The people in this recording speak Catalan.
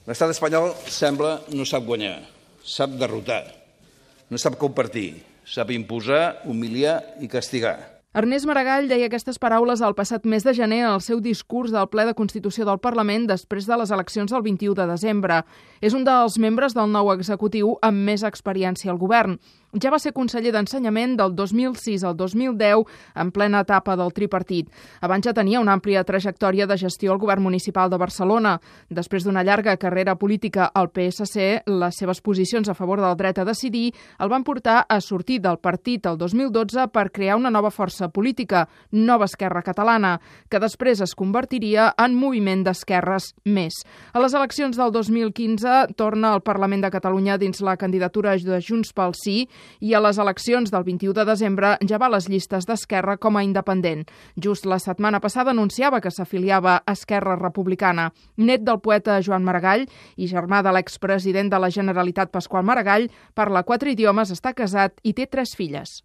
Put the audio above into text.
L'estat espanyol sembla no sap guanyar, sap derrotar, no sap compartir, sap imposar, humiliar i castigar. Ernest Maragall deia aquestes paraules el passat mes de gener en el seu discurs del ple de Constitució del Parlament després de les eleccions del 21 de desembre. És un dels membres del nou executiu amb més experiència al govern. Ja va ser conseller d'Ensenyament del 2006 al 2010, en plena etapa del tripartit. Abans ja tenia una àmplia trajectòria de gestió al govern municipal de Barcelona. Després d'una llarga carrera política al PSC, les seves posicions a favor del dret a decidir el van portar a sortir del partit el 2012 per crear una nova força política, Nova Esquerra Catalana, que després es convertiria en Moviment d'Esquerres Més. A les eleccions del 2015 torna al Parlament de Catalunya dins la candidatura de Junts pel Sí i a les eleccions del 21 de desembre ja va a les llistes d'Esquerra com a independent. Just la setmana passada anunciava que s'afiliava a Esquerra Republicana. Net del poeta Joan Maragall i germà de l'expresident de la Generalitat Pasqual Maragall, parla 4 idiomes, està casat i té 3 filles.